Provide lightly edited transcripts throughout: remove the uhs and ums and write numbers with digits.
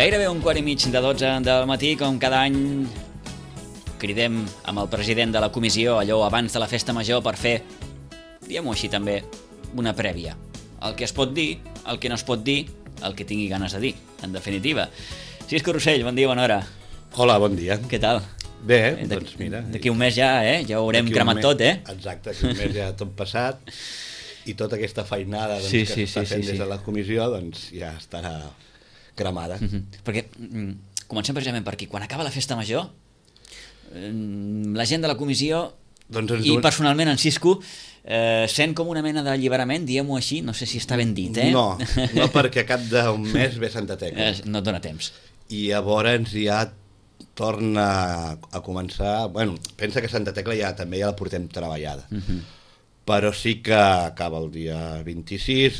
Gairebé 1:15 del matí, com cada any cridem amb el president de la comissió allò abans de la festa major per fer, diguem-ho així també, una prèvia. El que es pot dir, el que no es pot dir, el que tingui ganes de dir, en definitiva. Cisco Rossell, bon dia, bona hora. Hola, bon dia. Què tal? Bé, doncs mira... D'aquí un mes ja, ja ho haurem cremat tot, Exacte, d'aquí un mes ja tot passat i tota aquesta feinada que s'està fent des de la comissió doncs ja estarà cremada. Perquè comencem precisament per aquí. Quan acaba la festa major, la gent de la comissió i personalment en Cisco sent com una mena d'alliberament, diguem-ho així, no sé si està ben dit, No, perquè a cap d'un mes ve Santa Tecla. No et dona temps. I llavors ja torna a començar... Bueno, pensa que Santa Tecla també ja la portem treballada. Però sí que acaba el dia 26,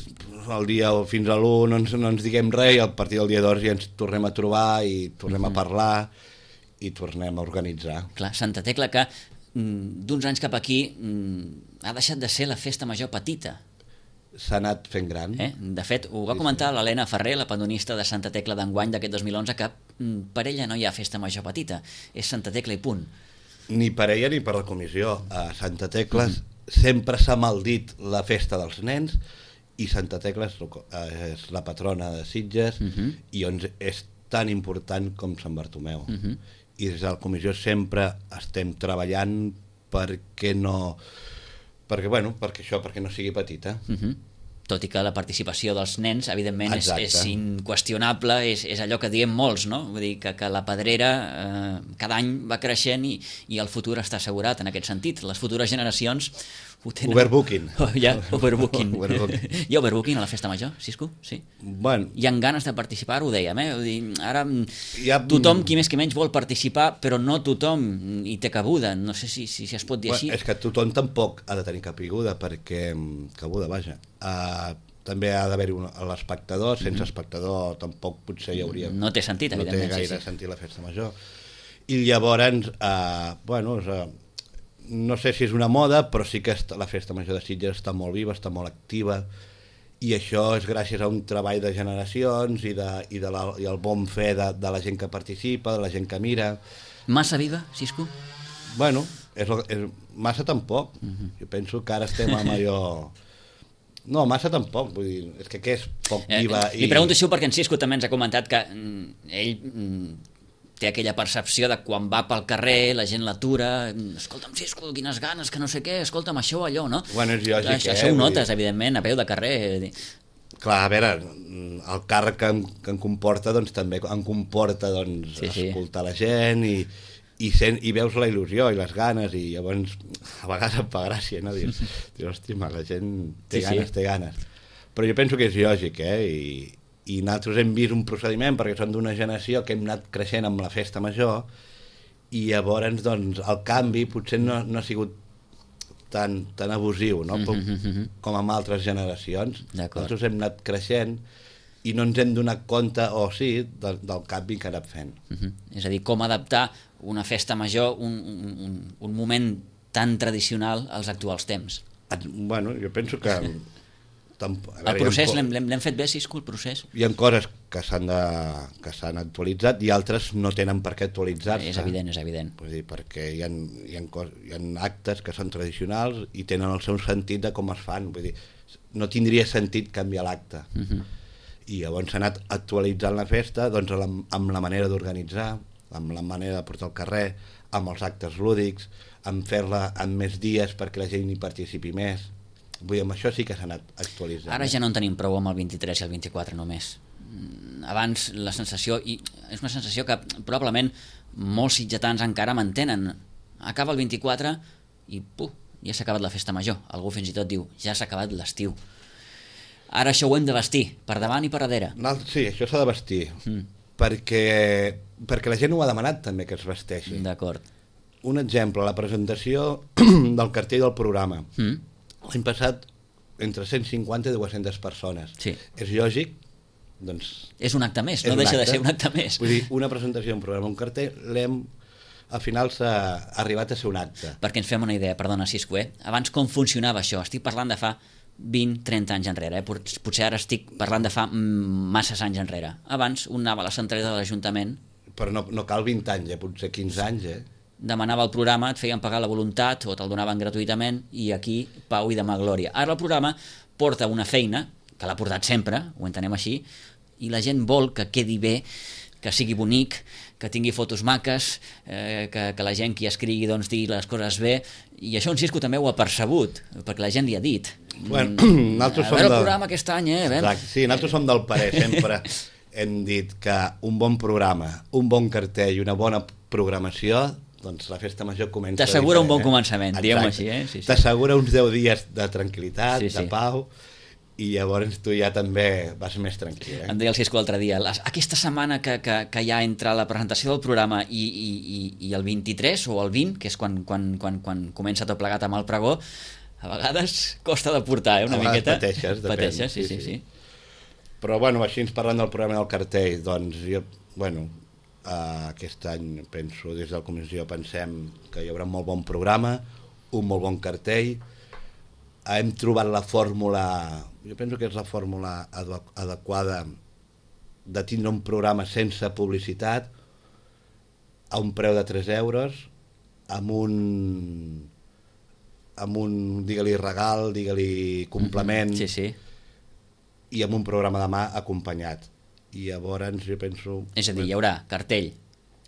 el dia fins a l'1 no ens diguem res, i a partir del dia 2 ja ens tornem a trobar i tornem a parlar i tornem a organitzar. Clar, Santa Tecla que d'uns anys cap aquí ha deixat de ser la festa major petita. S'ha anat fent gran. De fet, ho va comentar l'Helena Ferrer, la pandonista de Santa Tecla d'enguany d'aquest 2011, que per ella no hi ha festa major petita, és Santa Tecla i punt. Ni per ella ni per la comissió. A Santa Tecla sempre s'ha maldit la festa dels nens i Santa Tecla és la patrona de Sitges i és tan important com Sant Bartomeu. I des de la comissió sempre estem treballant perquè no sigui petita. Tot i que la participació dels nens, evidentment, és inqüestionable, és allò que diem molts, no? Vull dir que la Pedrera cada any va creixent i el futur està assegurat en aquest sentit. Les futures generacions ho tenen... Overbooking. Overbooking. Hi ha overbooking a la festa major, Cisco? Sí? Bueno. Hi ha ganes de participar, ho dèiem, Vull dir, ara tothom, qui més que menys, vol participar, però no tothom hi té cabuda. No sé si es pot dir així. És que tothom tampoc ha de tenir cabuda, perquè... Cabuda, vaja. També ha d'haver-hi l'espectador, sense espectador tampoc potser hi hauria... No té sentit, evidentment. No té gaire sentit la festa major. I llavors, no sé si és una moda, però sí que la festa major de Sitges està molt viva, està molt activa, i això és gràcies a un treball de generacions i el bon fe de la gent que participa, de la gent que mira. Massa viva, Cisco? Bueno, massa tampoc. Jo penso que ara estem amb allò... No, massa tampoc, vull dir, és que és poc viva. Li pregunto això perquè en Cisco també ens ha comentat que ell té aquella percepció de quan va pel carrer, la gent l'atura, escolta'm Cisco, quines ganes, que no sé què, escolta'm això, allò, no? Bueno, és lògic, Això ho notes, evidentment, a peu de carrer. Clar, a veure, el càrrec que em comporta, doncs també em comporta escoltar la gent i veus la il·lusió i les ganes, i llavors a vegades em fa gràcia, no? Dius, hòstia, la gent té ganes. Però jo penso que és lògic, i nosaltres hem vist un procediment, perquè som d'una generació que hem anat creixent amb la festa major, i llavors doncs, el canvi potser no ha sigut tan abusiu, no? Com amb altres generacions. Nosaltres hem anat creixent i no ens hem donat compte, del canvi que ha anat fent. És a dir, com adaptar una festa major, un moment tan tradicional als actuals temps. Bueno, jo penso que... El procés, l'hem fet bé, Cisco, el procés? Hi ha coses que s'han actualitzat i altres no tenen per què actualitzar-se. És evident. Vull dir, perquè hi ha actes que són tradicionals i tenen el seu sentit de com es fan. Vull dir, no tindria sentit canviar l'acte. I llavors s'ha anat actualitzant la festa amb la manera d'organitzar, amb la manera de portar al carrer, amb els actes lúdics, amb fer-la en més dies perquè la gent hi participi més. Vull dir, amb això sí que s'ha anat actualitzant. Ara ja no en tenim prou amb el 23 i el 24 només. Abans la sensació, i és una sensació que probablement molts sitgetans encara mantenen, acaba el 24 i ja s'ha acabat la festa major. Algú fins i tot diu, ja s'ha acabat l'estiu. Ara això ho hem de vestir, per davant i per darrere. Sí, això s'ha de vestir, perquè la gent ho ha demanat també que es vesteixi. D'acord. Un exemple, la presentació del cartell del programa. L'any passat, entre 150 i 200 persones. Sí. És lògic, doncs... És un acte més, no deixa de ser un acte més. Vull dir, una presentació d'un programa, un cartell, al final s'ha arribat a ser un acte. Perquè ens fem una idea, perdona, Cisco, abans com funcionava això? Estic parlant de fa 20-30 anys enrere. Potser ara estic parlant de fa masses anys enrere. Abans un anava a la centraleta de l'Ajuntament... Però no cal 20 anys, potser 15 anys, Demanava el programa, et feien pagar la voluntat o te'l donaven gratuïtament i aquí pau i demà glòria. Ara el programa porta una feina, que l'ha portat sempre, ho entenem així, i la gent vol que quedi bé, que sigui bonic, que tingui fotos maques, que la gent qui escrigui doncs, digui les coses bé, i això en Cisco també ho ha percebut, perquè la gent li ha dit. Bueno, a veure el programa aquest any, Exacte, sí, nosaltres som del parer, sempre hem dit que un bon programa, un bon cartell i una bona programació, doncs la festa major comença... T'assegura un bon començament, diguem-ho així. Sí. T'assegura uns 10 dies de tranquil·litat, de pau, i llavors tu ja també vas més tranquil. Em deia el Cisco l'altre dia, aquesta setmana que hi ha entre la presentació del programa i el 23 o el 20, que és quan comença tot plegat amb el pregó, a vegades costa de portar, una miqueta. Pateixes, sí. Però, bueno, així ens parlant del programa del cartell, doncs, aquest any, penso, des de la comissió pensem que hi haurà un molt bon programa, un molt bon cartell, hem trobat la fórmula, jo penso que és la fórmula adequada de tindre un programa sense publicitat, a un preu de 3 euros, amb un digue-li regal, digue-li complement, i amb un programa de mà acompanyat. I llavors jo penso... És a dir, hi haurà cartell.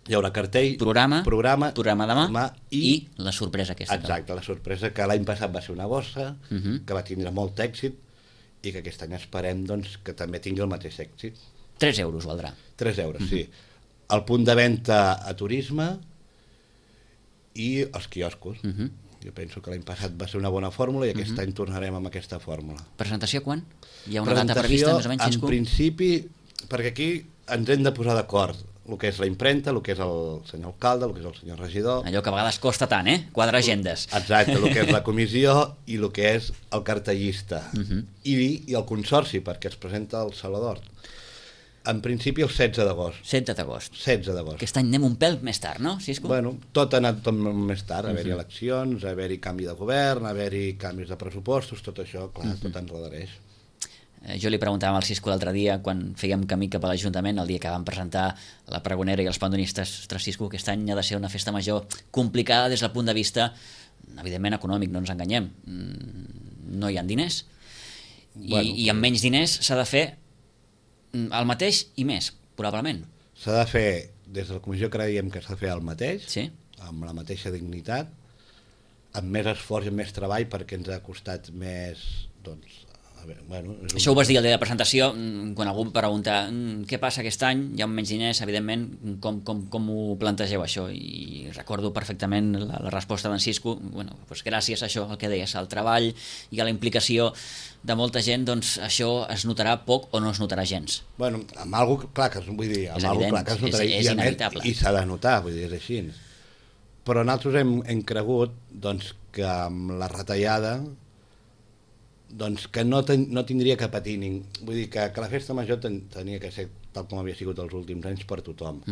Hi haurà cartell, programa de mà i la sorpresa aquesta. Exacte, la sorpresa que l'any passat va ser una bossa, que va tindre molt èxit i que aquest any esperem doncs, que també tingui el mateix èxit. 3 euros valdrà. 3 euros, sí. El punt de venda a turisme i els quioscos. Jo penso que l'any passat va ser una bona fórmula i aquest any tornarem amb aquesta fórmula. Presentació quan? Hi ha una data prevista, més o menys, Cisco? En principi, perquè aquí ens hem de posar d'acord el que és la imprenta, el que és el senyor alcalde, el que és el senyor regidor... Allò que a vegades costa tant, quadrar agendes. Exacte, el que és la comissió i el que és el cartellista. I el consorci, perquè es presenta el Salvador. En principi el 16 d'agost. 16 d'agost. 16 d'agost. Aquest any anem un pèl més tard, no, Cisco? Bueno, tot ha anat més tard, haver-hi eleccions, haver-hi canvi de govern, haver-hi canvis de pressupostos, tot això, clar, tot enredareix. Jo li preguntava al Cisco l'altre dia, quan fèiem camí cap a l'Ajuntament, el dia que vam presentar la pregonera i els pandonistes, ostres, Cisco, aquest any ha de ser una festa major complicada des del punt de vista, evidentment, econòmic, no ens enganyem. No hi ha diners. I amb menys diners s'ha de fer el mateix i més, probablement. S'ha de fer, des de la comissió creiem que s'ha de fer el mateix, amb la mateixa dignitat, amb més esforç i més treball, perquè ens ha costat més, doncs, això ho vas dir el dia de presentació, quan algú em pregunta què passa aquest any, hi ha menys diners, evidentment, com ho plantegeu això? I recordo perfectament la resposta d'en Cisco, doncs gràcies a això, el que deies, al treball i a la implicació de molta gent, doncs això es notarà poc o no es notarà gens. Bueno, amb alguna clar que es notarà, és inevitable. I s'ha de notar, vull dir, és així. Però nosaltres hem cregut doncs, que amb la retallada doncs que no tindria que patir vull dir que la festa major tenia que ser tal com havia sigut els últims anys per tothom.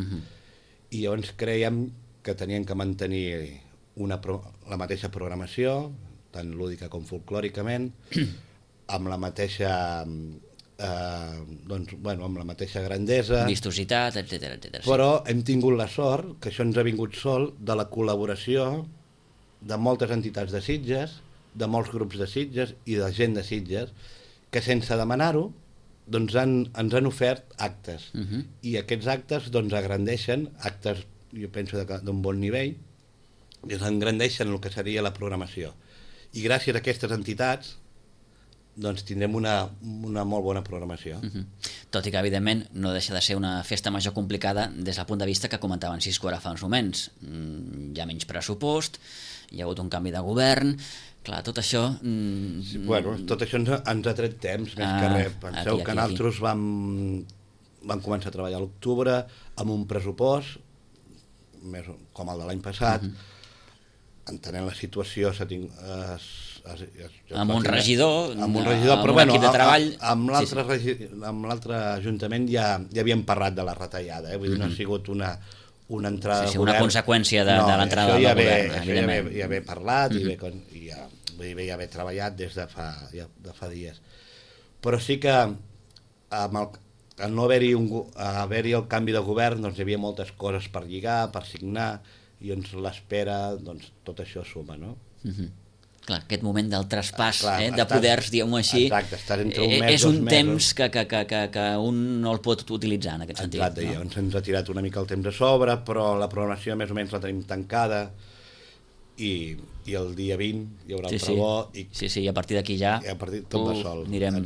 I llavors creiem que tenien que mantenir la mateixa programació, tant lúdica com folclòricament, amb la mateixa amb la mateixa grandesa, vistositat, etc. Però hem tingut la sort, que això ens ha vingut sol, de la col·laboració de moltes entitats de Sitges, de molts grups de Sitges i de gent de Sitges, que sense demanar-ho doncs ens han ofert actes. I aquests actes doncs agrandeixen, actes jo penso d'un bon nivell, i engrandeixen el que seria la programació. I gràcies a aquestes entitats doncs tindrem una molt bona programació. Tot i que, evidentment, no deixa de ser una festa major complicada des del punt de vista que comentava en Cisco ara fa uns moments. Hi ha menys pressupost, hi ha hagut un canvi de govern, clar, tot això... tot això ens ha tret temps, més que res. Penseu que nosaltres vam començar a treballar a l'octubre amb un pressupost, com el de l'any passat, entenent la situació amb un regidor, però un equip de treball... Amb l'altre ajuntament ja havíem parlat de la retallada, vull dir, no ha sigut una entrada de govern. Una conseqüència de l'entrada del govern, evidentment. Ja ve parlat vull dir, ja haver treballat des de fa dies. Però sí que amb al no haver-hi el canvi de govern, doncs hi havia moltes coses per lligar, per signar, i doncs l'espera, doncs tot això suma, no? Clar, aquest moment del traspàs, de poders, diguem-ho així, exacte, estàs entre un mes, és un temps que un no el pot utilitzar en aquest sentit. Exacte, no? Llavors ens ha tirat una mica el temps a sobre, però la programació més o menys la tenim tancada, i el dia 20 hi haurà el pregó. Sí, i a partir d'aquí ja tot va sol. Anirem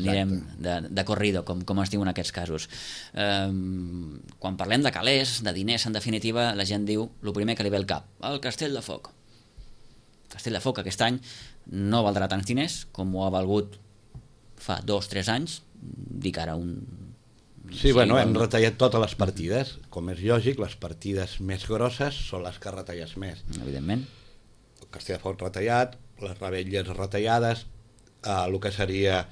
de corrido, com es diu en aquests casos. Quan parlem de calés, de diners, en definitiva, la gent diu el primer que li ve al cap, el Castell de Foc. Castell de Foc aquest any no valdrà tants diners com ho ha valgut fa 2-3 anys, dic ara un... Sí, bueno, hem retallat totes les partides, com és lògic, les partides més grosses són les que retalles més. Evidentment. El Castell de Foc retallat, les revetlles retallades, el que seria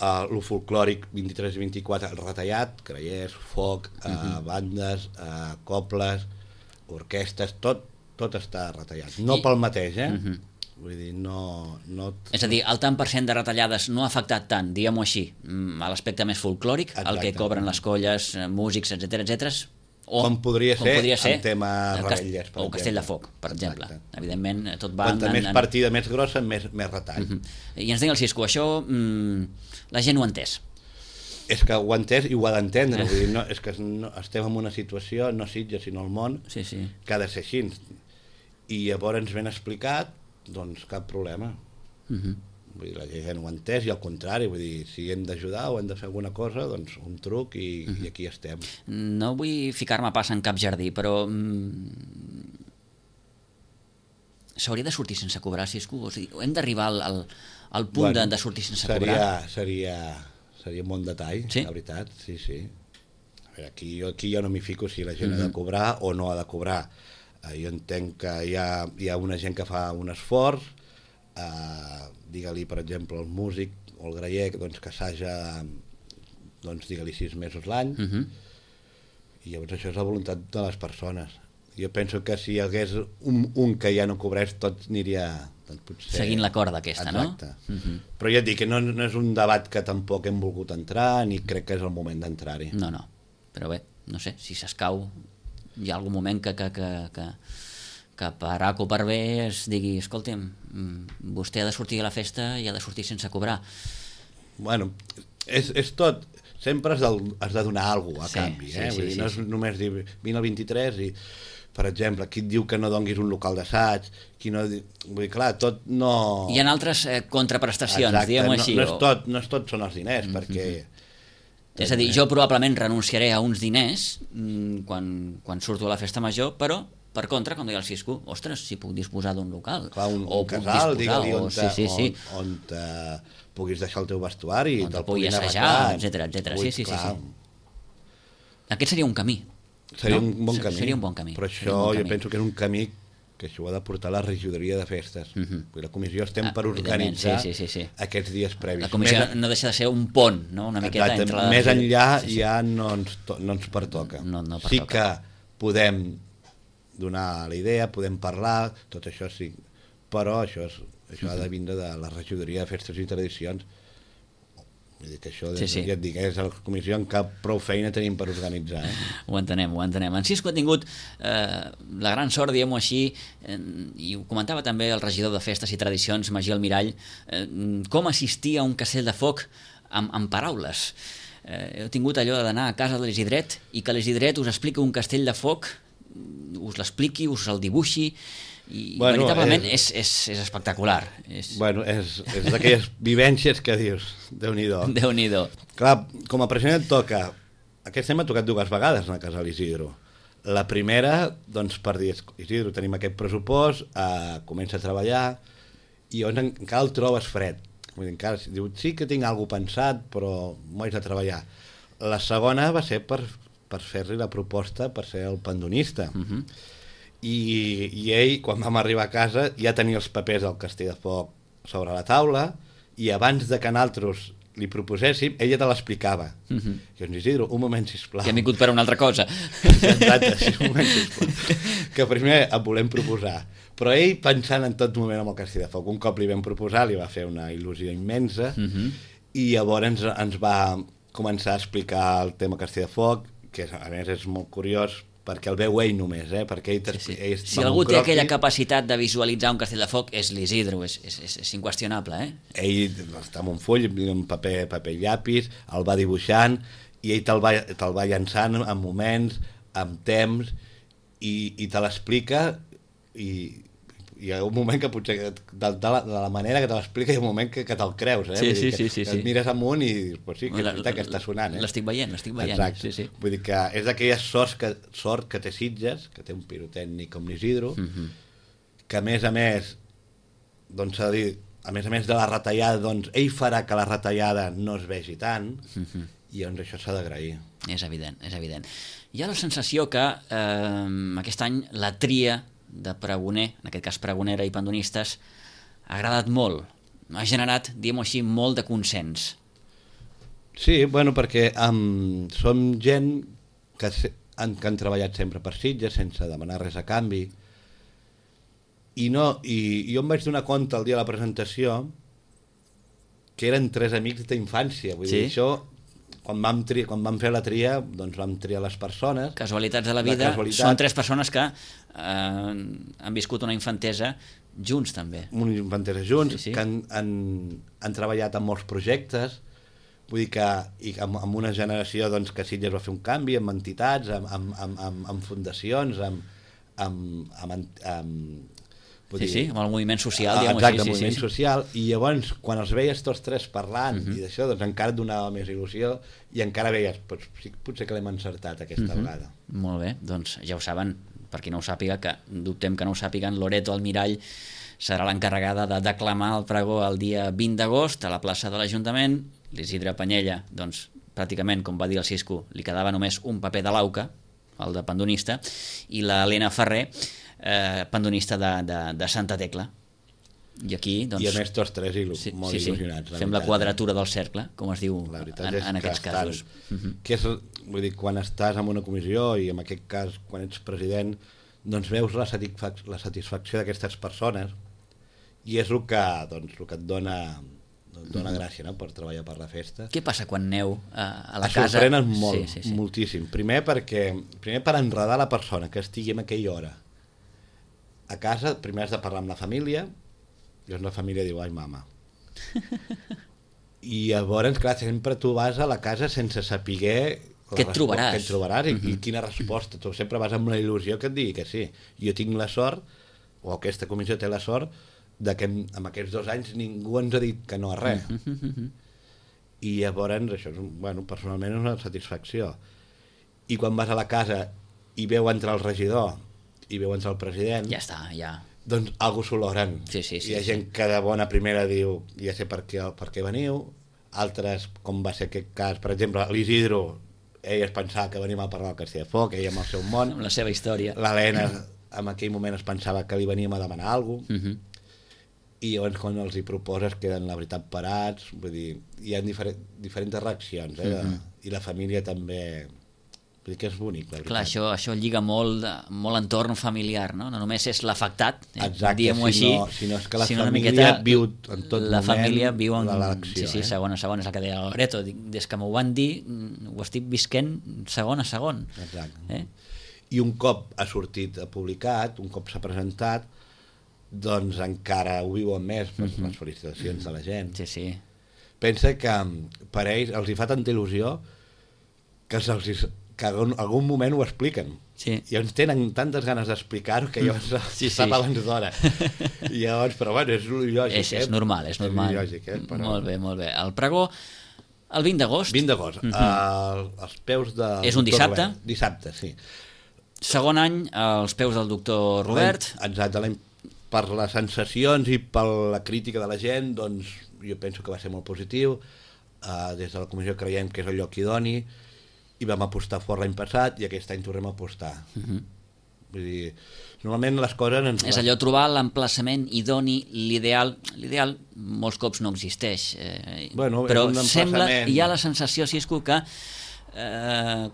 el folclòric 23 i 24 retallat, grallers, foc, bandes, cobles, orquestes, tot està retallat. No pel mateix, Vull dir, no... És a dir, el tant per cent de retallades no ha afectat tant, diguem-ho així, a l'aspecte més folclòric, el que cobren les colles, músics, etc. Com podria ser en tema revetllers, o Castell de Foc, per exemple. Evidentment, tot va... Quanta més partida més grossa, més retall. I ens deia el Cisco, això la gent ho ha entès. És que ho ha entès i ho ha d'entendre, vull dir, és que estem en una situació, no Sitges, sinó el món, que ha de ser així. I llavors ens ben explicat, doncs cap problema. Vull dir, la gent ho ha entès i al contrari, vull dir, si hem d'ajudar o hem de fer alguna cosa, doncs un truc i aquí estem. No vull ficar-me pas en cap jardí, però s'hauria de sortir sense cobrar, Cisco? O sigui, hem d'arribar al punt de sortir sense cobrar? Seria un bon detall, la veritat, sí. A veure, aquí jo no m'hi fico si la gent ha de cobrar o no ha de cobrar. Jo entenc que hi ha una gent que fa un esforç, digue-li, per exemple, el músic o el graller, doncs, que assaja, doncs, digue-li 6 mesos l'any, i llavors això és la voluntat de les persones. Jo penso que si hi hagués un que ja no cobrés, tot aniria... Doncs, potser... Seguint la corda aquesta, no? Exacte. Però ja et dic que no és un debat que tampoc hem volgut entrar, ni crec que és el moment d'entrar-hi. No, però bé, no sé, si s'escau hi ha algun moment que per A o per B es digui, escolta'm, vostè ha de sortir a la festa i ha de sortir sense cobrar. Bueno, és tot, sempre has de donar alguna cosa a canvi, vull dir, no és només dir vine al 23 i, per exemple, qui et diu que no donguis un local d'assaig, qui no... Vull dir, clar, tot no... Hi ha altres contraprestacions, diguem-ho així. No és tot són els diners, perquè... És a dir, jo probablement renunciaré a uns diners quan surto a la festa major, però per contra, com deia el Cisco, ostres, si puc disposar d'un local. Clar, un casal, digue-li, on puguis deixar el teu vestuari, on te'l puguis assajar, etc. Sí. Aquest seria un camí. Seria un bon camí. Seria un bon camí. Però això jo penso que és un camí que això ho ha de portar la regidoria de festes. La comissió estem per organitzar aquests dies previs. La comissió no deixa de ser un pont, no? Una miqueta entre la... Més enllà ja no ens pertoca. Sí que podem donar la idea, podem parlar, tot això sí, però això ha de vindre de la regidoria de festes i tradicions. Vull dir que això, ja et dic, és la comissió en cap prou feina tenim per organitzar. Ho entenem. En Cisco ha tingut la gran sort, diguem-ho així, i ho comentava també el regidor de Festes i Tradicions, Magí Almirall, com assistir a un Castell de Foc amb paraules. Heu tingut allò d'anar a casa de l'Isidret i que l'Isidret us expliqui un Castell de Foc, us l'expliqui, us el dibuixi, i veritablement és espectacular. Bueno, és d'aquelles vivències que dius, Déu-n'hi-do. Déu-n'hi-do. Clar, com a president et toca, aquest any m'ha tocat 2 vegades anar a casa de l'Isidro. La primera, doncs per dir, Isidro, tenim aquest pressupost, comença a treballar, i llavors encara el trobes fred. Vull dir, encara diu, sí que tinc alguna cosa pensat, però m'ho haig de treballar. La segona va ser per fer-li la proposta per ser el pandonista. I ell, quan vam arribar a casa, ja tenia els papers del Castell de Foc sobre la taula, i abans de que nosaltres li proposéssim, ella te l'explicava. I doncs, Isidro, un moment, sisplau. Que hem vingut per una altra cosa. Exacte, sí, un moment, sisplau. Que primer et volem proposar, Però ell, pensant en tot moment amb el Castell de Foc, un cop li vam proposar, li va fer una il·lusió immensa, i llavors ens va començar a explicar el tema Castell de Foc, que a més és molt curiós, perquè el veu ell només, perquè ell si algú té aquella capacitat de visualitzar un Castell de Foc és l'Isidro, és inqüestionable. Ell està amb un full, un paper i llapis, el va dibuixant, i ell te'l va llançant en moments, amb temps, i te l'explica, i hi ha un moment que potser de la manera que te l'explica hi ha un moment que te'l creus, Sí. Et mires amunt i dius, pues sí, que és veritat que està sonant. L'estic veient. Exacte. Sí. Vull dir que és d'aquelles sort que té Sitges, que té un pirotècnic com l'Isidro, que a més, doncs s'ha de dir, a més de la retallada, doncs ell farà que la retallada no es vegi tant, i doncs això s'ha d'agrair. És evident. Hi ha la sensació que aquest any la tria de pregoner, en aquest cas pregonera i pandonistes, ha agradat molt, ha generat, diguem-ho així, molt de consens. Sí, bueno, perquè som gent que han treballat sempre per Sitges sense demanar res a canvi, i jo em vaig donar compte el dia de la presentació que eren 3 amics d'infància, vull dir, això quan vam fer la tria, doncs vam triar les persones. Casualitats de la vida, són 3 persones que han viscut una infantesa junts també. Una infantesa junts, sí. Que han treballat en molts projectes, vull dir que amb una generació doncs, que Sitges va fer un canvi, amb entitats, amb fundacions, amb el moviment social, diguem-ho així. Exacte, el moviment social, i llavors, quan els veies tots 3 parlant, i d'això, doncs encara et donava més il·lusió, i encara veies, potser que l'hem encertat aquesta vegada. Molt bé, doncs ja ho saben, per qui no ho sàpiga, que dubtem que no ho sàpiguen, Loreto Almirall serà l'encarregada de declamar el pregó el dia 20 d'agost a la plaça de l'Ajuntament. L'Isidre Panyella, doncs, pràcticament, com va dir el Cisco, li quedava només un paper de l'auca, el de pandonista, i l'Helena Ferrer, pandonista de Santa Tecla. I aquí, doncs... I a més tots 3 molt il·lusionats. Fem la quadratura del cercle, com es diu en aquests casos. Que és, vull dir, quan estàs en una comissió, i en aquest cas quan ets president, doncs veus la satisfacció d'aquestes persones, i és el que et dona gràcia, no?, per treballar per la festa. Què passa quan aneu a la casa? Això sorprenen molt, moltíssim. Primer per enredar la persona que estigui en aquella hora a casa. Primer has de parlar amb la família, i llavors la família diu, ai mama. I llavors, clar, sempre tu vas a la casa sense saber què et trobaràs i quina resposta. Tu sempre vas amb la il·lusió que et digui que sí. Jo tinc la sort, o aquesta comissió té la sort, de que en aquests 2 anys ningú ens ha dit que no a res. I llavors això personalment és una satisfacció. I quan vas a la casa i veu entrar el regidor i veu entrar el president, ja està, doncs algú s'oloren. Hi ha gent que de bona primera diu, ja sé per què veniu, altres, com va ser aquest cas, per exemple, l'Isidro, ell es pensava que venim a parlar del Castell de Foc, ell amb el seu món, amb la seva història. L'Helena en aquell moment es pensava que li veníem a demanar alguna cosa, i llavors quan els hi proposes queden la veritat parats, vull dir, hi ha diferents reaccions, i la família també, vull dir que és bonic, la veritat. Clar, això lliga molt entorn familiar, no? No només és l'afectat, diguem-ho així, sinó és que la família viu en tot moment, la família viu en l'elecció. Sí, segon a segon, és el que deia Loreto, des que m'ho van dir, ho estic visquent segon a segon. Exacte. I un cop ha sortit publicat, un cop s'ha presentat, doncs encara ho viuen més per les felicitacions de la gent. Sí. Pensa que per ells els hi fa tanta il·lusió que en algun moment ho expliquen. I ens tenen tantes ganes d'explicar-ho que llavors sap abans d'hora. I llavors, però bueno, és lògic. És normal. És lògic, però... Molt bé. El pregó, el 20 d'agost. 20 d'agost, als peus de... És un dissabte? Dissabte, sí. Segon any, als peus del doctor Robert. Exacte, per les sensacions i per la crítica de la gent, doncs jo penso que va ser molt positiu. Des de la comissió creiem que és el lloc idoni, i vam apostar fort l'any passat, i aquest any tornem a apostar. Vull dir, normalment les coses... És allò, trobar l'emplaçament idoni, l'ideal molts cops no existeix. Però sembla, hi ha la sensació, Cisco, que,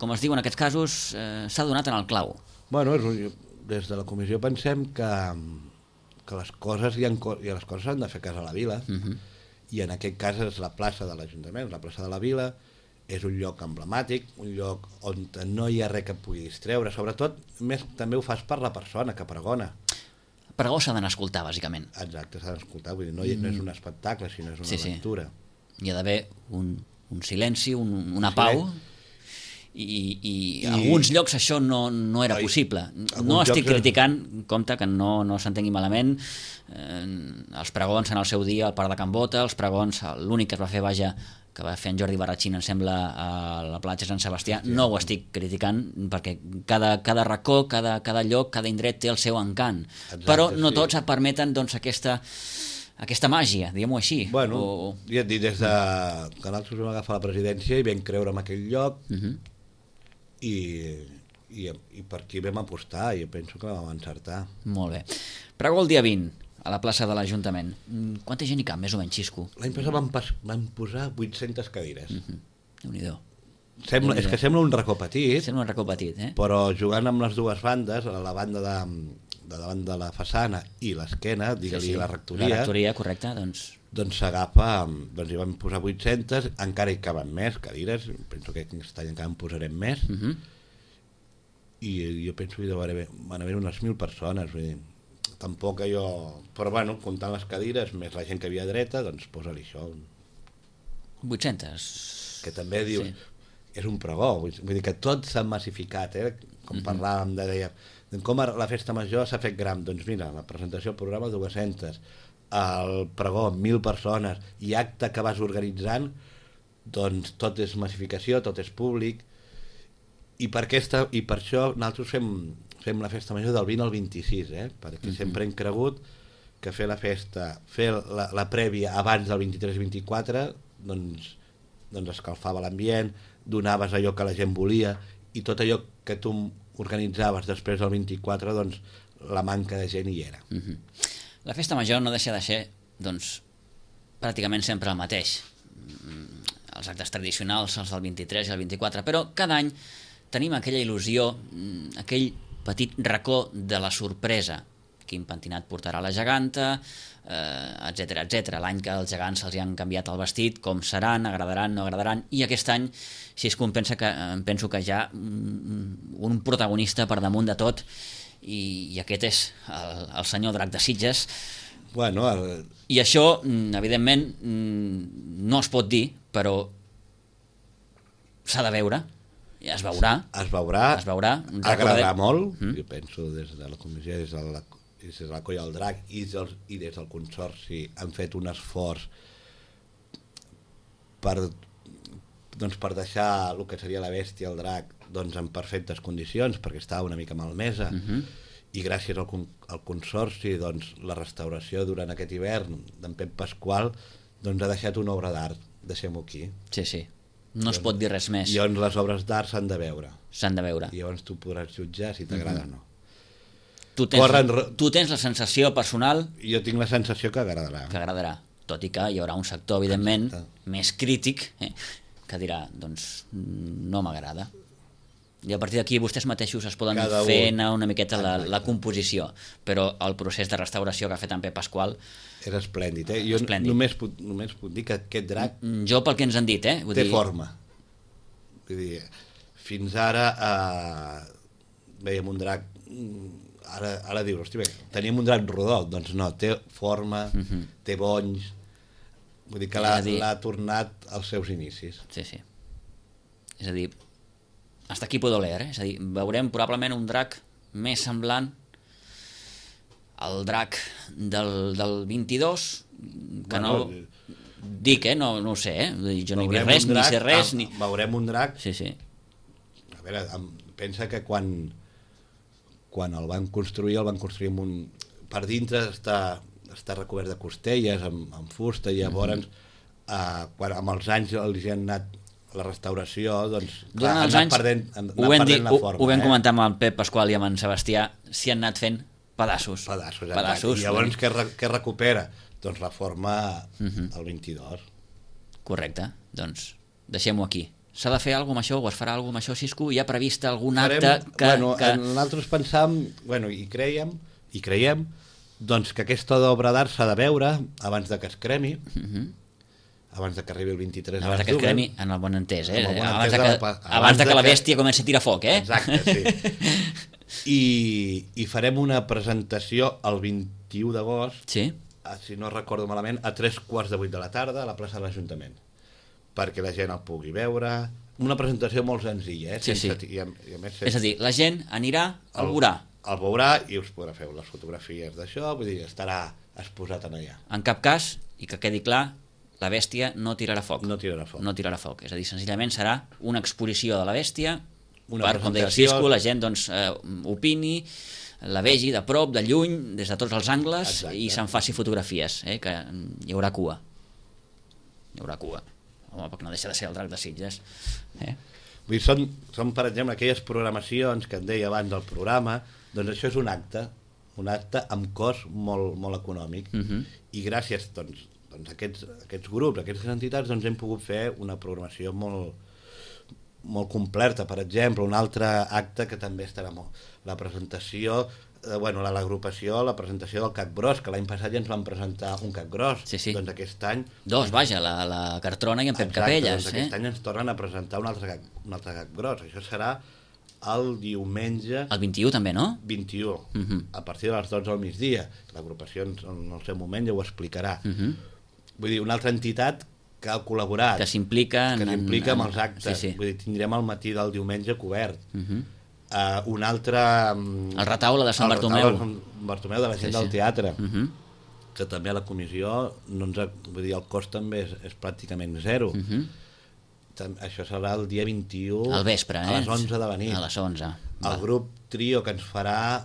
com es diu en aquests casos, s'ha donat en el clau. Bueno, des de la comissió pensem que les coses les coses s'han de fer a casa a la vila, i en aquest cas és la plaça de l'Ajuntament, la plaça de la vila, és un lloc emblemàtic, un lloc on no hi ha res que et pugui distreure, sobretot més també ho fas per la persona que pregona. Pregó s'ha d'anar a escoltar, bàsicament. Exacte, s'ha d'anar a escoltar, vull dir, no és un espectacle, sinó és una lectura. Hi ha d'haver un silenci, una pau, i a alguns llocs això no era possible. No estic criticant, compte que no s'entengui malament, els pregons en el seu dia al Parc de Can Bota, els pregons, l'únic que es va fer, que va fer en Jordi Barratxín, em sembla, a la platja Sant Sebastià, no ho estic criticant, perquè cada racó, cada lloc, cada indret té el seu encant. Però no tots et permeten aquesta màgia, diguem-ho així. Bueno, ja et dic, des de que nosaltres vam agafar la presidència i vam creure en aquell lloc, i per aquí vam apostar, i penso que vam encertar. Molt bé. Pregó el dia 20, a la plaça de l'Ajuntament. Quanta gent hi cap, més o menys, Xisco? L'any passat vam posar 800 cadires. Déu-n'hi-do. És que sembla un racó petit. Sembla un racó petit, Però jugant amb les dues bandes, la banda de davant de la façana i l'esquena, digue-li la rectoria. La rectoria, correcte, doncs s'agafa, doncs hi vam posar 800, encara hi caben més cadires, penso que aquest any encara en posarem més, i jo penso que van haver unes 1.000 persones, vull dir, tampoc allò... Però bueno, comptant les cadires, més la gent que havia dreta, doncs posa-li això. 800. Que també diu... És un pregó, vull dir que tot s'ha massificat, com parlàvem, deia, com la festa major s'ha fet gran, doncs mira, la presentació del programa 200, el pregó 1.000 persones, i acte que vas organitzant, doncs tot és massificació, tot és públic, i per això nosaltres fem la festa major del 20 al 26, perquè sempre hem cregut que fer la festa, fer la prèvia abans del 23 i 24, doncs escalfava l'ambient, donaves allò que la gent volia, i tot allò que tu organitzaves després del 24, doncs la manca de gent hi era. La festa major no deixa de ser, doncs, pràcticament sempre el mateix. Els actes tradicionals, els del 23 i el 24, però cada any tenim aquella il·lusió, aquell petit racó de la sorpresa. Quin pentinat portarà la geganta, etc etc. L'any que els gegants se'ls han canviat el vestit, com seran, agradaran, no agradaran, i aquest any, si és que penso que hi ha un protagonista per damunt de tot, i aquest és el senyor Drac de Sitges. Bueno, I això, evidentment, no es pot dir, però s'ha de veure. Es veurà. Agradarà molt, jo penso, des de la comissió, des de la Colla del Drac i des del Consorci han fet un esforç per deixar el que seria la bèstia, el drac, en perfectes condicions, perquè estava una mica malmesa, i gràcies al Consorci, la restauració durant aquest hivern d'en Pep Pasqual ha deixat una obra d'art, deixem-ho aquí. Sí. No es pot dir res més. I les obres d'art s'han de veure. I llavors tu podràs jutjar si t'agrada o no. Tu tens la sensació personal... Jo tinc la sensació que agradarà. Tot i que hi haurà un sector, evidentment, més crític, que dirà, doncs, no m'agrada. I a partir d'aquí vostès mateixos es poden fer una miqueta la composició, però el procés de restauració que ha fet en Pep Pasqual... És esplèndid, Jo només puc dir que aquest drac... Jo pel que ens han dit, té forma. Vull dir, fins ara veiem un drac... Ara dius, hosti, bé, teníem un drac rodó, doncs no, té forma, té bonys, vull dir que l'ha tornat als seus inicis. Sí. És a dir, hasta aquí puedo leer, És a dir, veurem probablement un drac més semblant al drac del 22, que no... Dic, no ho sé, jo no hi veig res, ni sé res... Veurem un drac... Sí. A veure, pensa que quan el van construir amb un... Per dintre està recobert de costelles, amb fusta, i llavors amb els anys els han anat la restauració, doncs durant els anys perdent la forma. Ho vam comentar amb el Pep Pasqual i amb en Sebastià, s'hi han anat fent pedaços. I llavors què recupera? Doncs la forma del 22. Correcte, doncs deixem-ho aquí. S'ha de fer alguna cosa amb això, o es farà alguna cosa amb això, Xisco? Hi ha previst algun acte que... Nosaltres pensàvem, i creiem doncs que aquesta obra d'art s'ha de veure abans de que es cremi, abans de que arribi el 23 abans que es cremi, en el bon entès, abans de que la bèstia comenci a tirar foc, Exacte, sí. I farem una presentació el 21 d'agost, si no recordo malament, a 7:45 de la tarda a la plaça de l'Ajuntament, perquè la gent el pugui veure. Una presentació molt senzilla, I a més, és a dir, la gent anirà, el veurà. El veurà i us podrà fer les fotografies d'això, vull dir, estarà exposat en allà. En cap cas, i que quedi clar, la bèstia no tirarà foc. No tirarà foc. És a dir, senzillament serà una exposició de la bèstia, com deia el Cisco, la gent opini, la vegi de prop, de lluny, des de tots els angles, i se'n faci fotografies, que hi haurà cua. Home, perquè no deixa de ser el Drac de Sitges. Vull dir, són, per exemple, aquelles programacions que et deia abans del programa, doncs això és un acte amb cost molt econòmic, i gràcies a aquests grups, a aquestes entitats, doncs hem pogut fer una programació molt completa. Per exemple, un altre acte que també estarà la presentació, l'agrupació, la presentació del Cac Gros, que l'any passat ja ens van presentar un Cac Gros. Doncs aquest any... la Cartrona i en Pep Capelles. Doncs aquest any ens tornen a presentar un altre Cac Gros. Això serà el diumenge... El 21 també, no? 21, a partir de les 12 del migdia. L'agrupació en el seu moment ja ho explicarà. Vull dir, una altra entitat que ha col·laborat, que s'implica amb els actes. Vull dir, tindrem el matí del diumenge cobert. Un altre... El retaule de Sant Bartomeu. De la gent del teatre, que també a la comissió, vull dir, el cost també és pràcticament zero. Això serà el dia 21 al vespre, a les 11 de la nit. A les 11. El grup Trio, que ens farà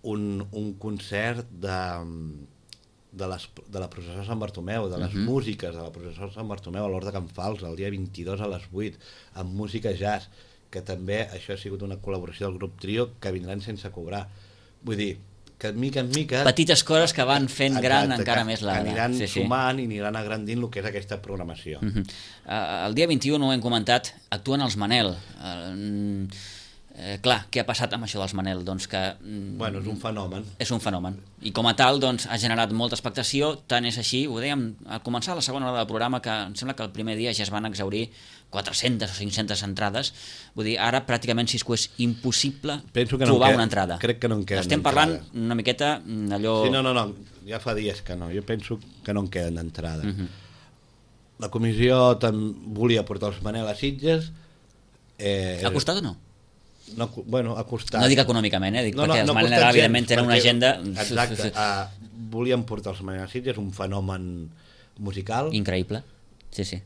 un concert de la processó de Sant Bartomeu, de les músiques de la processó de Sant Bartomeu a l'Hort de Can Fals, el dia 22 a les 8, amb música jazz, que també això ha sigut una col·laboració del grup Trio, que vindran sense cobrar. Vull dir, que de mica en mica... Petites coses que van fent gran encara més la... Que aniran sumant i aniran agrandint el que és aquesta programació. El dia 21, ho hem comentat, actuen els Manel. Clar, què ha passat amb això dels Manel? Doncs que... Bueno, és un fenomen. És un fenomen. I com a tal, doncs, ha generat molta expectació, tant és així, ho dèiem al començar la segona hora del programa, que em sembla que el primer dia ja es van exhaurir 400 o 500 entrades. Vull dir, ara pràcticament, Cisco, és impossible trobar una entrada. Crec que no en queden. Estem parlant una miqueta allò... Sí, no, ja fa dies que no. Jo penso que no en queden d'entrada. La comissió volia portar els Manel a Sitges. Ha costat o no? No, bueno, ha costat. No dic econòmicament, dic perquè els Manel evidentment tenen una agenda... Exacte, volíem portar els Manel a Sitges, un fenomen musical. Increïble, sí.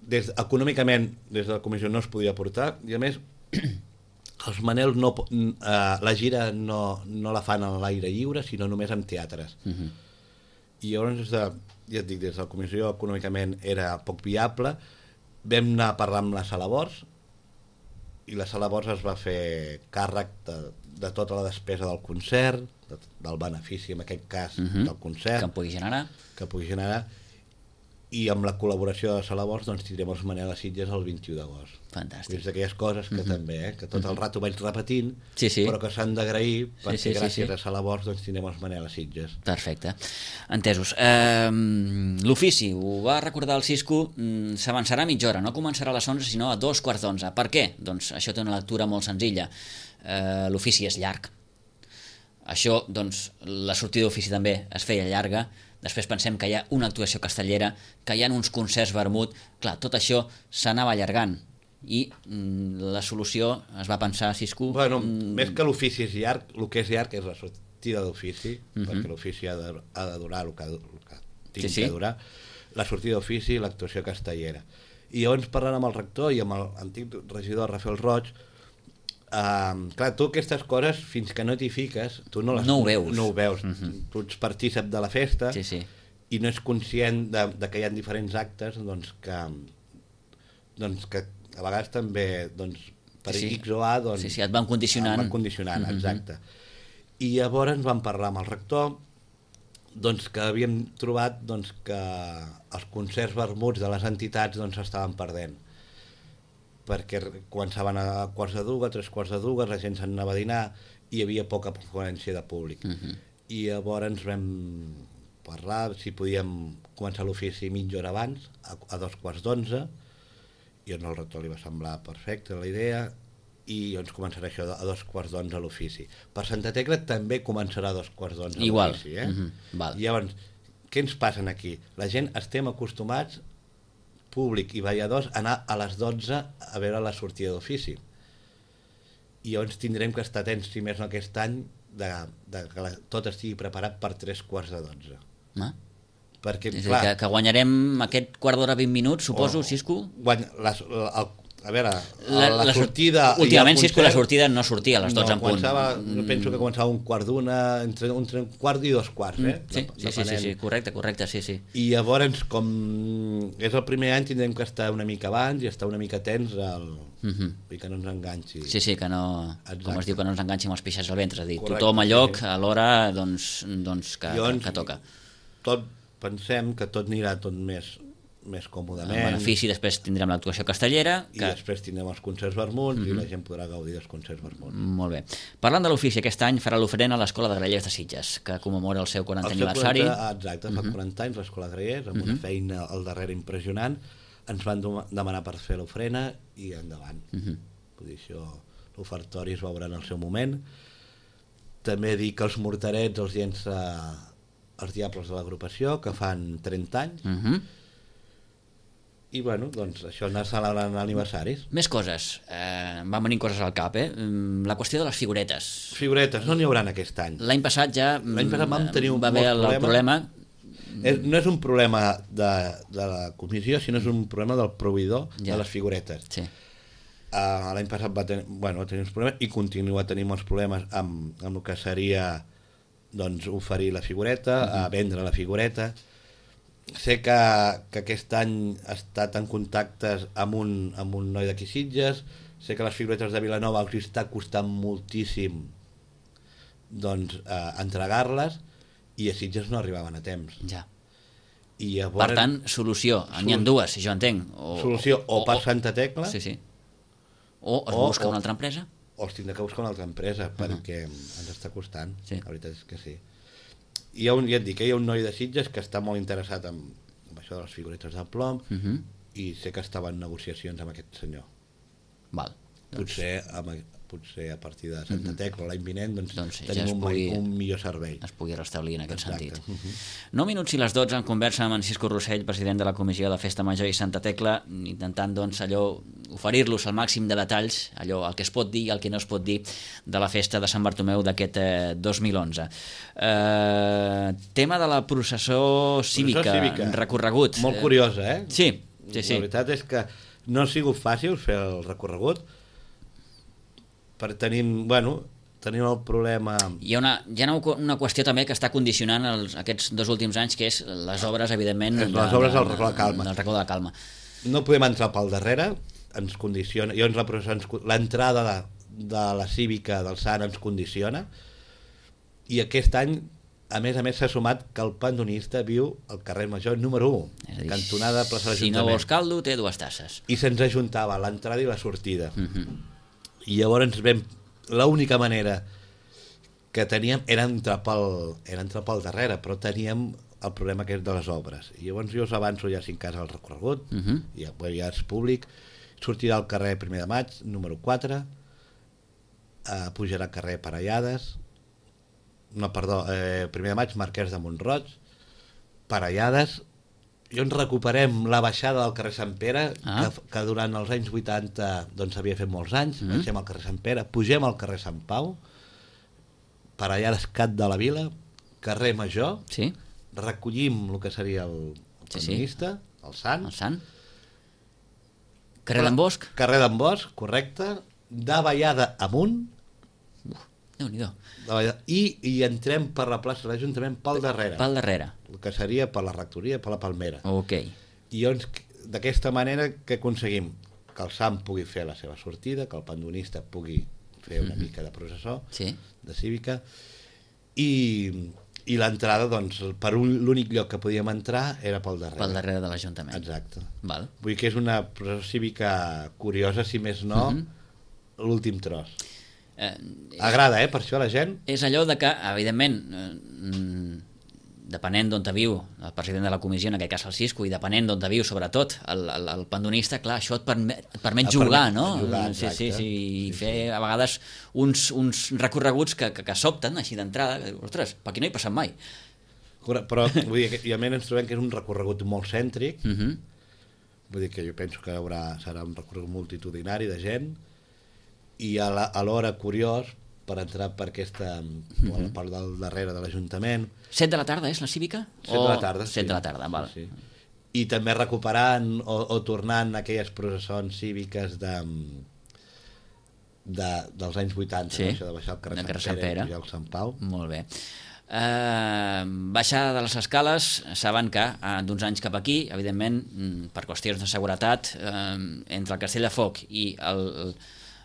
Econòmicament, des de la comissió no es podia portar, i a més, els Manel la gira no la fan a l'aire lliure, sinó només en teatres. I llavors, ja et dic, des de la comissió econòmicament era poc viable, vam anar a parlar amb la Sala Bors, i la Sala Bors es va fer càrrec de tota la despesa del concert, del benefici, en aquest cas, del concert. Que pugui generar. I amb la col·laboració de la Sala Bors doncs tindrem els Manel a Sitges el 21 d'agost. Fantàstic. És d'aquelles coses que també, que tot el rato vaig repetint, sí. però que s'han d'agrair perquè gràcies a Sala Bors doncs tindrem els Manel a Sitges. Perfecte. Entesos. L'ofici, ho va recordar el Cisco, s'avançarà a mitja hora, no començarà a les 11 sinó a 2:15. Per què? Doncs això té una lectura molt senzilla. L'ofici és llarg. Això, doncs, la sortida d'ofici també es feia llarga. Després pensem que hi ha una actuació castellera, que hi ha uns concerts vermut. Clar, tot això s'anava allargant i la solució es va pensar, Cisco... Bueno, més que l'ofici és llarg, el que és llarg és la sortida d'ofici, perquè l'ofici ha de durar el que tingui que durar, la sortida d'ofici i l'actuació castellera. I llavors, parlant amb el rector i amb l'antic regidor Rafael Roig, clar, tu aquestes coses fins que no t'hi fiques tu no ho veus. Tu ets partícip de la festa i no ets conscient de que hi ha diferents actes que a vegades també per X o A et van condicionant. Exacte. I llavors ens vam parlar amb el rector que havíem trobat que els concerts vermuts de les entitats s'estaven perdent, perquè començaven a 2:15, 3:15, la gent s'anava a dinar i hi havia poca afluència de públic. i llavors ens vam parlar si podíem començar l'ofici mitja hora abans, a 2:15, i el rector li va semblar perfecta la idea, i doncs començarà això a 2:15 l'ofici. Per Santa Tecla també començarà a 2:15 l'ofici. Val. I llavors, què ens passa aquí? La gent estem acostumats, públic i balladors, a anar a les 12 a veure la sortida d'ofici. I llavors tindrem que estar atents, si més no aquest any, que tot estigui preparat per 3:15. Perquè, clar, que guanyarem aquest quart d'hora 20 minuts, suposo, Cisco? A veure, la sortida... Últimament, Cisco, la sortida no sortia a les 12 en punt. Jo penso que començava un quart d'una, entre un quart i 2:15, Sí, correcte, sí. I llavors, com és el primer any, tindrem que estar una mica abans i estar una mica atents i que no ens enganxi. Sí, que no, com es diu, que no ens enganxi amb els pixats al ventre, és a dir, tothom a lloc a l'hora que toca. Pensem que tot anirà tot més còmodament. En benefici, després tindrem l'actuació castellera. I després tindrem els concerts vermuts i la gent podrà gaudir dels concerts vermuts. Molt bé. Parlant de l'ofici, aquest any farà l'ofrena a l'Escola de Grallers de Sitges, que commemora el seu 40è aniversari. Exacte, fa 40 anys l'Escola de Grallers, amb una feina al darrere impressionant. Ens van demanar per fer l'ofrena i endavant. Vull dir, això, l'ofertori es veurà en el seu moment. També dir que els morterets els llença els Diables de l'agrupació, que fan 30 anys, i bueno, doncs això anar celebrant aniversaris. Més coses, van venint coses al cap, La qüestió de les figuretes. Figuretes, no n'hi haurà aquest any. L'any passat vam tenir va haver el problema. No és un problema de la comissió, sinó és un problema del proveïdor de les figuretes. Sí. L'any passat va tenir uns problemes i continua tenint molts problemes amb el que seria oferir la figureta, a vendre la figureta. Sé que aquest any ha estat en contactes amb un noi d'aquí Sitges, sé que les figuretes de Vilanova els està costant moltíssim entregar-les, i a Sitges no arribaven a temps. Ja. I llavors, per tant, solució, n'hi ha dues, si jo entenc. Solució, o per Santa Tecla, o es busca una altra empresa, o els tindrà que buscar una altra empresa, perquè ens està costant, la veritat és que sí. Ja et dic, hi ha un noi de Sitges que està molt interessat en això de les figuretes de plom, i sé que estava en negociacions amb aquest senyor. Val. Potser a partir de Santa Tecla l'any vinent tenim un millor servei. Es pugui restablir en aquest sentit. 9 minuts i les 12 en conversa amb en Cisco Rossell, president de la Comissió de Festa Major i Santa Tecla, intentant oferir-los el màxim de detalls, el que es pot dir i el que no es pot dir de la festa de Sant Bartomeu d'aquest 2011. Tema de la processó cívica, recorregut. Molt curiosa, Sí. La veritat és que no ha sigut fàcil fer el recorregut, per tenim el problema... Hi ha una qüestió també que està condicionant aquests 2 últims anys, que és les obres, evidentment... Les obres del Racó de la Calma. No podem entrar pel darrere, ens condiciona... L'entrada de la cívica del Sant ens condiciona, i aquest any, a més, s'ha sumat que el pandonista viu al carrer Major número 1, cantonada plaça de l'Ajuntament. Si no vols caldo, té 2 tasses. I se'ns ajuntava l'entrada i la sortida. I llavors l'única manera que teníem era entrar pel darrere, però teníem el problema que és de les obres. I llavors jo us avanço ja 5 cases al recorregut, ja és públic, sortirà al carrer 1 de Maig, número 4, pujarà al carrer Parellades, 1 de Maig, Marquès de Mont-roig, Parellades, i on recuperem la baixada del carrer Sant Pere, que durant els anys 80 s'havia fet molts anys, baixem al carrer Sant Pere, pugem al carrer Sant Pau, Parellades, Cat de la Vila, carrer Major, recollim el que seria el feminista, el Sant, carrer d'en Bosch, correcte, de Vallada amunt, Déu-n'hi-do. I entrem per la plaça de l'Ajuntament pel darrere. El que seria per la rectoria, per la Palmera. I llavors, d'aquesta manera, què aconseguim? Que el Sant pugui fer la seva sortida, que el pandonista pugui fer una mica de processó, de cívica, i l'entrada, per l'únic lloc que podíem entrar era pel darrere. Pel darrere de l'Ajuntament. Exacte. Vull dir que és una processó cívica curiosa, si més no, l'últim tros. Agrada, per això la gent? És allò de que, evidentment, depenent d'on te viu el president de la comissió, en aquest cas el Cisco, i depenent d'on te viu, sobretot, el pandonista, clar, això et permet jugar, no? Sí, i fer a vegades uns recorreguts que sobten, així d'entrada, ostres, per aquí no hi he passat mai. Però, vull dir, òbviament ens trobem que és un recorregut molt cèntric, vull dir que jo penso que serà un recorregut multitudinari de gent, i alhora curiós, per entrar per aquesta part del darrere de l'Ajuntament. 7 de la tarda és la cívica? 7 de la tarda, sí. 7 de la tarda, val. Sí. I també recuperant o tornant aquelles processons cíviques dels anys 80, sí, això de baixar el carrer Sant Pere i el Sant Pau. Molt bé. Baixar de les escales, saben que d'uns anys cap aquí, evidentment, per qüestions de seguretat, entre el Castell de Foc i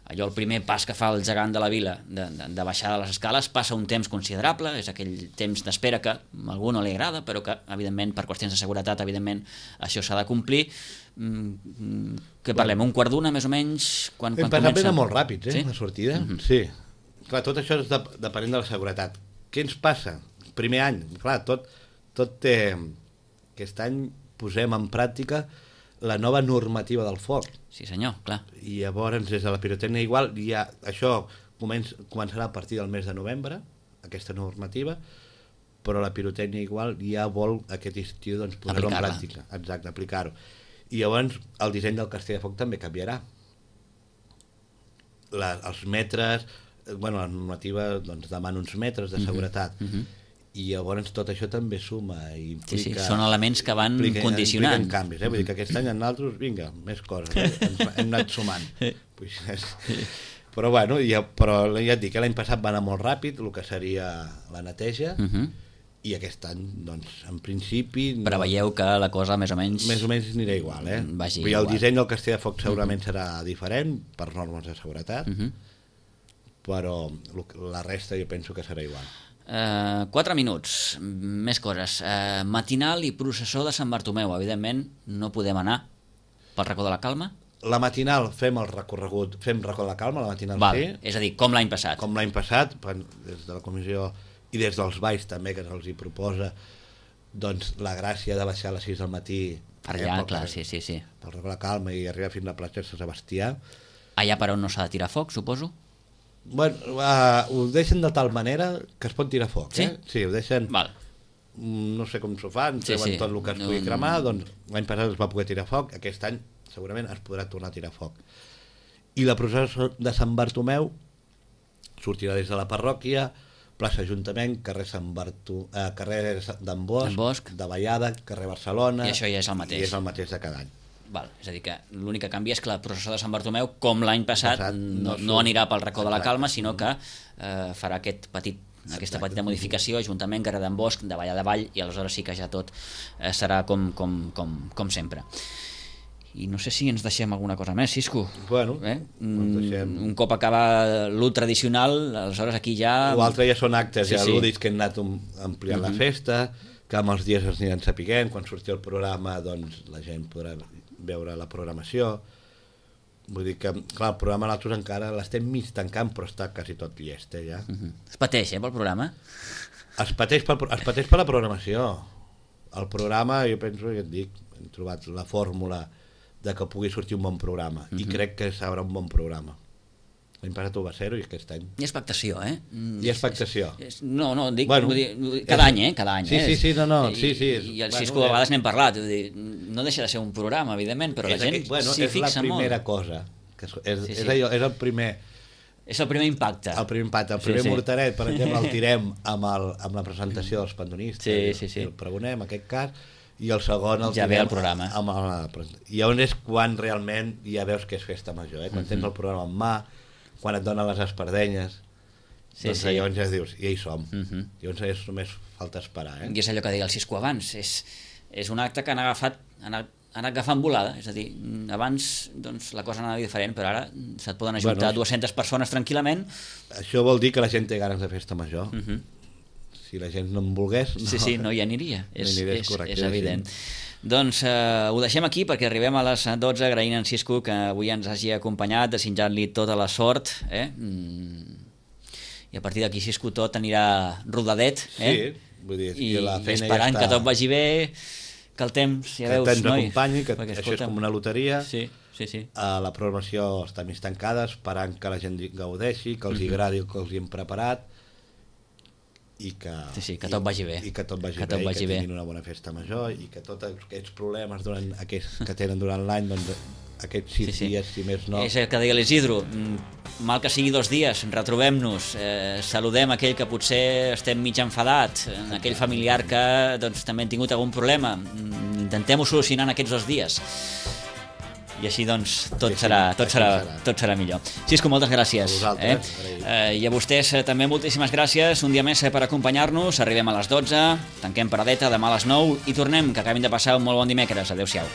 allò, el primer pas que fa el gegant de la vila de baixar de les escales, passa un temps considerable, és aquell temps d'espera que a algú no li agrada, però que, evidentment, per qüestions de seguretat, evidentment, això s'ha de complir. Què parlem? Un quart d'una, més o menys? Quan comença? Ben molt ràpids, la sortida. Sí. Clar, tot això és depenent de la seguretat. Què ens passa? Primer any, clar, tot té... Aquest any posem en pràctica la nova normativa del foc. Sí, senyor, clar. I llavors, des de la pirotècnia igual, això començarà a partir del mes de novembre, aquesta normativa, però la pirotècnia igual ja vol aquest estiu doncs, posar-ho en pràctica. Exacte, aplicar-ho. I llavors el disseny del Castell de Foc també canviarà. Els metres, la normativa doncs, demana uns metres de seguretat, i llavors tot això també suma i implica... Sí, són elements que van condicionant. Impliquen canvis, vull dir que aquest any en nosaltres, vinga, més coses, hem anat sumant. Però bueno, però ja et dic que l'any passat va anar molt ràpid, el que seria la neteja, i aquest any, doncs, en principi... Preveieu que la cosa més o menys... Més o menys anirà igual, Vagi igual. El disseny del Castell de Foc segurament serà diferent, per normes de seguretat, però la resta jo penso que serà igual. 4 minuts, més coses. Matinal i processó de Sant Bartomeu. Evidentment no podem anar pel racó de la Calma. La matinal fem el recorregut, fem racó de la Calma, la matinal sí. És a dir, com l'any passat. Com l'any passat, des de la comissió i des dels balls també, que se'ls hi proposa doncs, la gràcia de baixar a les 6 del matí per allà, clar, sí. pel racó de la Calma i arribar fins a la platja de Sant Sebastià. Allà per on no s'ha de tirar foc, suposo? Bueno, ho deixen de tal manera que es pot tirar foc, sí? Sí, ho deixen... Val. No sé com s'ho fan, treuen tot el que es pugui cremar, doncs l'any passat es va poder tirar foc, aquest any segurament es podrà tornar a tirar foc. I la processó de Sant Bartomeu sortirà des de la parròquia, plaça Ajuntament, carrer d'en Bosch, de Vallada, carrer Barcelona... I això ja és el mateix. I és el mateix de cada any. Val. És a dir, que l'únic que canvia és que la processó de Sant Bartomeu, com l'any passat, no anirà pel racó de la Calma, sinó que farà aquesta petita modificació, Ajuntament, carrer d'en Bosch, de Vallada Vall, i aleshores sí que ja tot serà com sempre. I no sé si ens deixem alguna cosa més, Cisco. Bueno, deixem... Un cop acaba l'ú tradicional, aleshores aquí ja... L'altre ja són actes, ja lúdics que hem anat ampliant la festa, que amb els dies ens aniran sapiguent, quan surti el programa doncs la gent podrà veure la programació. Vull dir que, clar, el programa nosaltres encara l'estem mig tancant, però està quasi tot llest, ja. Es pateix, pel programa? Es pateix per la programació. El programa, jo penso, ja et dic, hem trobat la fórmula de que pugui sortir un bon programa, i crec que serà un bon programa. L'any passat ho va ser-ho i aquest any. Hi ha expectació, Hi ha expectació. No, dic, vull dir, cada any, cada any. Sí, I el Cisco a vegades n'hem parlat, no deixa de ser un programa, evidentment, però la gent s'hi fixa molt. És la primera cosa, és el primer... És el primer impacte. El primer mortaret, per exemple, el tirem amb la presentació dels pandonistes, el pregonem, en aquest cas, i el segon el ja ve el programa. I on és quan realment ja veus que és festa major, quan tens el programa en mà, quan et donen les espardenyes, doncs llavors ja dius, i ja hi som. Llavors només falta esperar. I és allò que deia el Cisco abans, és un acte que han agafat volada, és a dir, abans doncs, la cosa anava diferent, però ara se't poden ajuntar 200 persones tranquil·lament. Això vol dir que la gent té ganes de festa major. Si la gent no en volgués... No hi aniria, és evident. Doncs ho deixem aquí perquè arribem a les 12, agraint a en Cisco que avui ens hagi acompanyat, desitjant-li tota la sort, i a partir d'aquí Cisco tot anirà rodadet, Sí, vull dir, i la feina esperant ja està... que tot vagi bé, que el temps, ja veus, que el temps noi, acompanyi, que perquè, això és com una loteria. Sí. La programació està més tancada, esperant que la gent gaudeixi, que els agradi el que els hem preparat, i que, que tot vagi bé. I que tot vagi bé, i que tinguin una bona festa major, i que tots aquests problemes que tenen durant l'any, doncs aquests 6 dies, si més no... És el que deia l'Isidro, mal que sigui 2 dies, retrobem-nos, saludem aquell que potser estem mig enfadat, aquell familiar que doncs, també han tingut algun problema, intentem-ho solucionar en aquests 2 dies. I així doncs tot serà millor. Cisco, moltes gràcies. A vosaltres. I a vostès també moltíssimes gràcies. Un dia més per acompanyar-nos. Arribem a les 12, tanquem paradeta, demà a les 9 i tornem, que acabin de passar un molt bon dimecres. Adéu-siau.